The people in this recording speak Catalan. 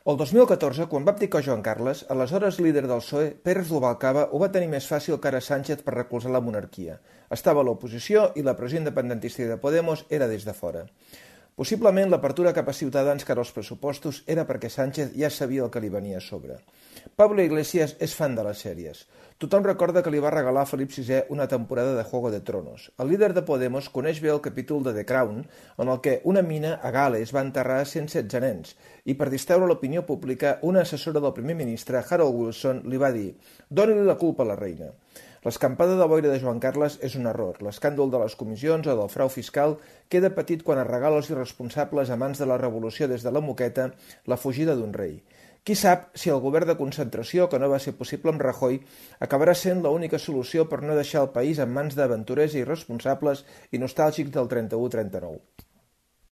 El 2014, quan va abdicar Joan Carles, aleshores líder del PSOE, Pérez Rubalcaba ho va tenir més fàcil que ara Sánchez per recolzar la monarquia. Estava a l'oposició i la pressió independentista de Podemos era des de fora. Possiblement l'apertura cap a Ciutadans cara als pressupostos era perquè Sánchez ja sabia el que li venia a sobre. Pablo Iglesias és fan de les sèries. Tothom recorda que li va regalar a Felip VI una temporada de Juego de Tronos. El líder de Podemos coneix bé el capítol de The Crown, en el que una mina a Gales va enterrar 116 nens, i per distreure l'opinió pública, una assessora del primer ministre, Harold Wilson, li va dir «Doni-li la culpa a la reina». L'escampada de boira de Joan Carles és un error. L'escàndol de les comissions o del frau fiscal queda petit quan es regala als irresponsables amants de la revolució des de la moqueta la fugida d'un rei. Qui sap si el govern de concentració, que no va ser possible amb Rajoy, acabarà sent l'única solució per no deixar el país en mans d'aventurers i irresponsables i nostàlgics del 31-39.